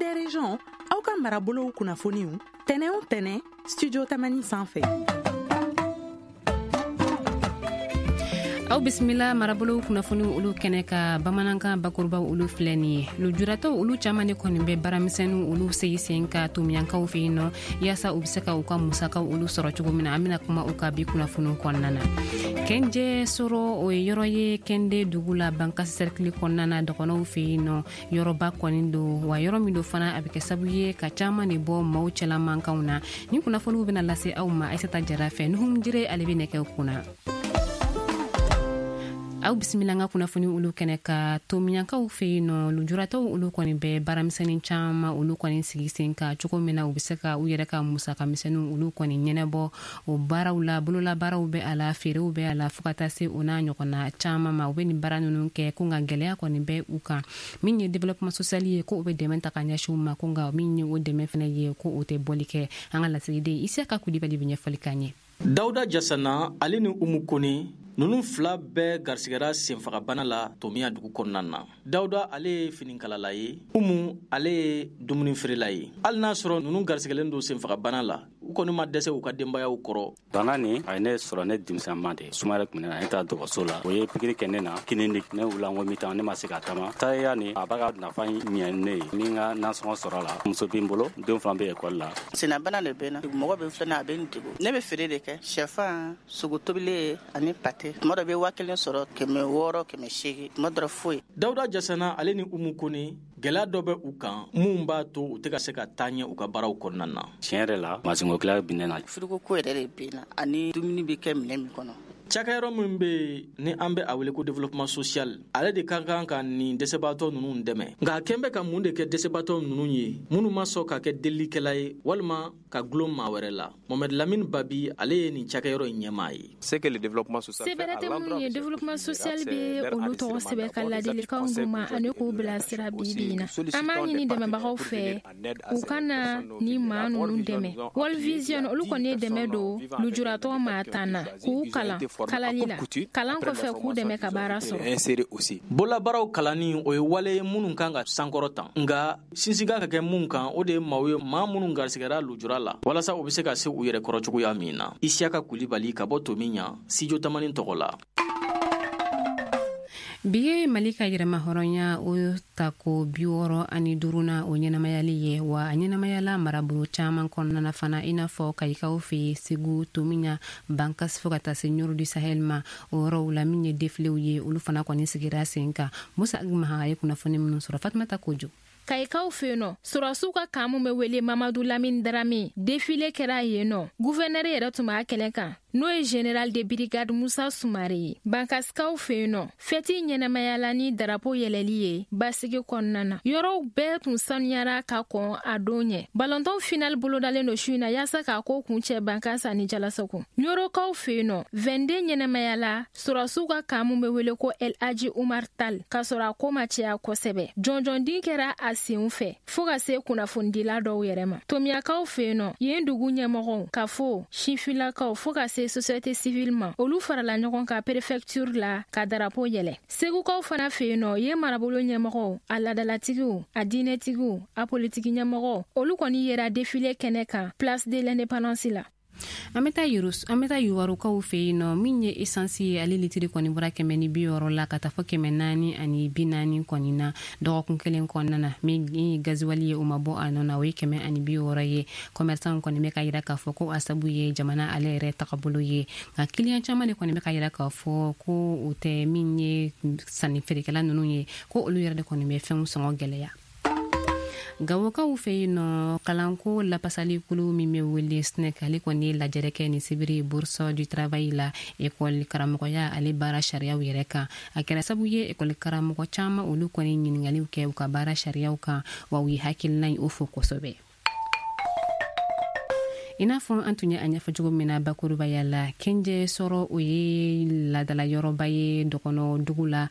des régions, aw ka marabolow kunnafoniw tɛnɛ o tɛnɛ studio Tamani sanfɛ. Aw bisimila marabolow kunnafoniw olu kɛnɛ ka bamanankan bakurubaw olu filɛ nin ye. Lujuratɔw olu caaman de kɔni bɛ baaramisɛnninw olu sigi sen ka tomiyankaw fɛ yen nɔ, yaasa u be se ka u ka musakaw olu sɔrɔ cogo min na. An bena kuma u ka bi kunnafoniw kɔnɔna na. Kɛnjɛ sɔrɔ, o ye yɔrɔ ye Kɛnde dugu la, Bankasi sɛrikili kɔnɔna na, dɔgɔnɔw fɛ yen nɔ. Yɔrɔba kɔni don, wa yɔrɔ min don fana, a bɛ kɛ sabu ye ka caaman de bɔ maaw cɛla mankanw na. Nin kunnafoniw bena lase aw ma Aisata Jara fɛ. Nuhum Jire, ale be nɛgɛw kunna. Aw bisimila an ka kunnafoni olu kɛnɛ ka tomiyankaw fɛ yen nɔ. Lujuratɔw olu kɔni bɛ baaramisɛnnin caman olu kɔni sigi sen kan cogo min na u bɛ se ka u yɛrɛ ka musaka misɛnninw olu kɔni ɲɛnabɔ. O baaraw la, bololabaaraw bɛ a la, feerew bɛ a la, fo ka taa se o n'a ɲɔgɔnna caman ma. U bɛ nin baara ninnu kɛ ko nka gɛlɛya kɔni bɛ u kan. Min ye développement social ye, ko u bɛ dɛmɛ ta ka ɲɛsin u ma, ko nka min ye o dɛmɛ fɛnɛ ye, ko o tɛ bɔli kɛ. An ka lasigiden Isiyaka Kulibali bɛ ɲɛfɔli k'an ye. Dawuda Jasana ale ni Umu Kone, ninnu fila bɛɛ garisigɛra senfagabana la Tomiya dugu kɔnɔna na. Dawuda ale ye finikalala ye, Umu ale ye dumuni feerela ye. Hali n'a sɔrɔ ninnu garisigɛlen don senfagabana la, u kɔni ma dɛsɛ u ka denbayaw kɔrɔ. Bana nin a ye ne sɔrɔ ne denmisɛnma de, sumaya tun bɛ ne na. Ne taara dɔgɔtɔrɔso la, o ye pikiri kɛ ne na kinin ni ne wulila n ko mi tan, ne ma se ka taama. Taaya nin a b'a ka nafa ɲɛ ne ye, ni n ka nasɔngɔ sɔrɔ la. Muso bɛ n bolo, denw fana bɛ ekɔli la. Sennabana de bɛ n na, mɔgɔ bɛ filɛ, a bɛ n degun. Ne bɛ feere de kɛ, sɛfan, sogo tobilen ani pate. Tuma dɔ bɛ 1000 sɔrɔ, 600, 800, tuma dɔ foyi. Dawuda Jasana ale ni Umu Kone, gɛlɛya dɔ bɛ u kan mun b'a to u tɛ ka se ka taa ɲɛ u ka baaraw kɔnɔna na. Tiɲɛ yɛrɛ la, masinko gɛlɛya bɛ ne na. Firiko ko yɛrɛ de bɛ n na, ani dumuni bɛ kɛ minɛn min kɔnɔ. Cakɛyɔrɔ min bɛ yen ni an bɛ a wele ko développement social, ale de ka kan ka nin dɛsɛbaatɔ ninnu dɛmɛ. Nka a kɛn bɛ ka mun de kɛ dɛsɛbaatɔ ninnu ye minnu ma sɔn ka kɛ delilikɛla ye walima ka gulon maa wɛrɛ la? Mohamed Lamine Babi, ale ye nin cakɛyɔrɔ in ɲɛmaa ye. Se bɛrɛ tɛ minnu ye, développement social bɛ olu tɔgɔ sɛbɛn ka ladilikanw d'u ma ani k'u bilasira bi bi in na. An b'a ɲini dɛmɛbagaw fɛ u ka na ni maa ninnu dɛmɛ. World Vision olu kɔni ye dɛmɛ don lujuratɔ maa tan na, k'u kalan kalali la, kalan kɔfɛ k'u dɛmɛ ka baara sɔrɔ. Bololabaaraw kalanni, o ye wale ye minnu kan ka sankɔrɔ tan, nka sinsin kan ka kɛ mun kan, o de ye maaw ye, maa minnu garisigɛra lujura la, walasa u bɛ se ka se u yɛrɛ kɔrɔ cogoya min na. Isiyaka Kulibali ka bɔ Tomiɲa, Studio Tamani tɔgɔ la. Bi ye Mali ka yɛrɛma hɔrɔnya o tako 65nan o ɲɛnamayali ye, wa a ɲɛnamayala marabolo caman kɔnɔna na fana, i n'a fɔ Kayikaw fɛ yen, Segu, Tomiɲa, Bankas, fo ka taa se Ɲoro du Sahel ma. O yɔrɔw la, min ye defilew ye, olu fana kɔni sigira sen kan. Musa Maha ye kunnafoni minnu sɔrɔ, Fatumata Kojo. Kayikaw fɛ yen nɔ, sɔrɔdasiw ka camp min bɛ wele Mamadu Lamini Darame, défilé kɛra yen nɔ. Gouverneur yɛrɛ tun b'a kɛnɛ kan, n'o ye général de brigade Musa Sumare ye. Bankasikaw fɛ yen nɔ, fɛti ɲɛnamayala ni darapo yɛlɛli ye basigi kɔnɔna na. Yɔrɔw bɛɛ tun sanuyara ka kɔn a don ɲɛ. Balɔntan final bolodalen don su in na yaasa k'a ko kuncɛ Bankas ani Jalasagu. Ɲorokaw fɛ yen nɔ, 22 ɲɛnamayala sɔrɔdasiw ka camp min bɛ wele ko El Hadji Umar Tal, k'a sɔrɔ a ko ma caya kosɛbɛ. Jɔnjɔndin kɛra a senw fɛ fo ka se kunnafonidila dɔw yɛrɛ ma. Tomiyakaw fɛ yen nɔ, yen dugu ɲɛmɔgɔw, kafo, sifilakaw, fo ka se société civile ma, olu farala ɲɔgɔn kan préfecture la ka darapo yɛlɛ. Segukaw fana fɛ yen nɔ, yen marabolo ɲɛmɔgɔw, a ladalatigiw, a diinɛtigiw, a politiki ɲɛmɔgɔw, olu kɔni yera défilé kɛnɛ kan place de l'indépendance la. An bɛ taa yuwarukaw fɛ yen nɔ. Min ye esansi ye, ale litiri kɔni bɔra 160 la ka taa fɔ 440 kɔni na dɔgɔkun kelen kɔnɔna na. Min ye gaziwali ye, o ma bɔ a nɔ na, o ye 160 ye. Commerçant kɔni bɛ ka yira k'a fɔ ko a sabu ye jamana ale yɛrɛ tagabolo ye, nka kiliyan caman de kɔni bɛ ka yira k'a fɔ ko o tɛ. Min ye sanni feerekɛla ninnu ye, ko olu yɛrɛ de kɔni bɛ fɛnw sɔngɔ gɛlɛya. Gawokaw fɛ yen nɔ, kalanko lapasali kulu min bɛ wele SNEC, ale kɔni ye lajɛrɛ kɛ nin sibiri Bourse du Travail la, ekɔli karamɔgɔya ale baara sariyaw yɛrɛ kan. A kɛra sabu ye ekɔli karamɔgɔ caman olu kɔni ɲiningaliw kɛ u ka baara sariyaw kan, wa u ye hakilina ye o fo kosɛbɛ. I n'a fɔ an tun ye a ɲɛfɔ cogo min na bakurubaya la, Kenjɛ sɔrɔ, o ye ladala yɔrɔba ye dɔgɔnɔ dugu la.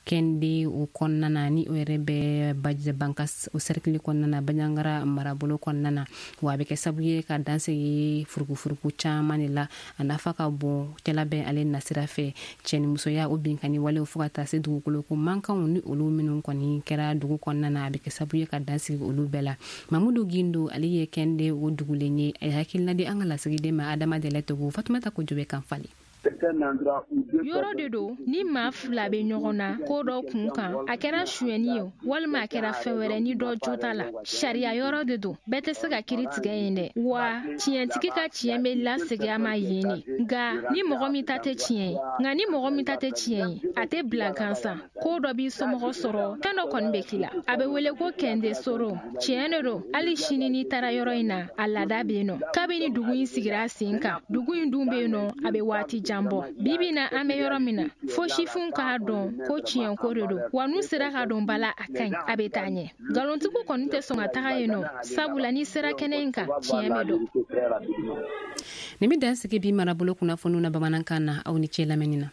Kɛnde o kɔnɔna na, ni o yɛrɛ bɛ Bankas o sɛrikili kɔnɔna na, Banjagara marabolo kɔnɔna na. Wa a bɛ kɛ sababu ye ka dansigi furukufuruku caman de la. A nafa ka bon cɛlabɛn ale nasira fɛ, cɛnimusoya o binkanni walew, fo ka taa se dugukolo ko mankanw ni olu minnu kɔni kɛra dugu kɔnɔna na, a bɛ kɛ sababu ye ka dansigi olu bɛɛ la. Mamudu Gindo, ale ye Kɛnde o dugulen ye, a ye hakilina di an ka lasigiden ma Adama Dɛlɛ Togo. Fatumata Kojo bɛ kan falen. Yɔrɔ de don ni maa fila bɛ ɲɔgɔn na ko dɔ kun kan, a kɛra sonyɛni ye walima a kɛra fɛn wɛrɛ, ni dɔ jo t'a la, sariya yɔrɔ de don. Bɛɛ tɛ se ka kiri tigɛ yen dɛ, wa tiɲɛtigi ka tiɲɛ bɛ lasegin a ma yen de. Nka ni mɔgɔ min ta tɛ tiɲɛ ye, nka ni mɔgɔ min ta tɛ tiɲɛ ye, a tɛ bila gansan. Ko dɔ b'i somɔgɔ sɔrɔ, fɛn dɔ kɔni bɛ k'i la, a bɛ wele ko kɛnde soro. Tiɲɛ de don, hali sini n'i taara yɔrɔ in na, a laada bɛ yen nɔ kabini dugu in sigira sen kan. Dugu in dun bɛ yen nɔ, a bɛ waati jan bɔ. Bibi na, an bɛ yɔrɔ min na, fo sifinw k'a dɔn ko tiɲɛko de don, wa n'u sera ka don ba la, a ka ɲi, a bɛ taa ɲɛ. Nkalontigiw kɔni tɛ sɔn ka taga yen nɔ, sabula n'i sera kɛnɛ in kan, tiɲɛ bɛ dɔn. Nin bɛ dan sigi bi marabolo kunnafoniw na bamanankan na. Aw ni ce lamɛnni na.